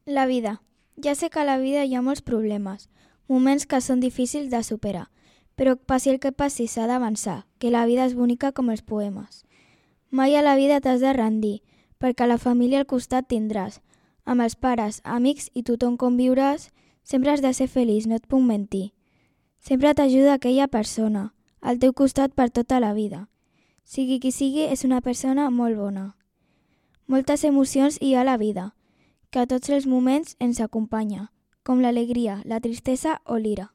La vida. Ja sé que a la vida hi ha molts problemes, moments que són difícils de superar, però passi el que passi s'ha d'avançar, que la vida és bonica com els poemes. Mai a la vida t'has de rendir, perquè la família al costat tindràs. Amb els pares, amics i tothom conviuràs, sempre has de ser feliç, no et puc mentir. Sempre t'ajuda aquella persona, al teu costat per tota la vida. Sigui qui sigui, és una persona molt bona. Moltes emocions hi ha a la vida, que a tots els moments ens acompanya, com l'alegria, la tristesa o l'ira.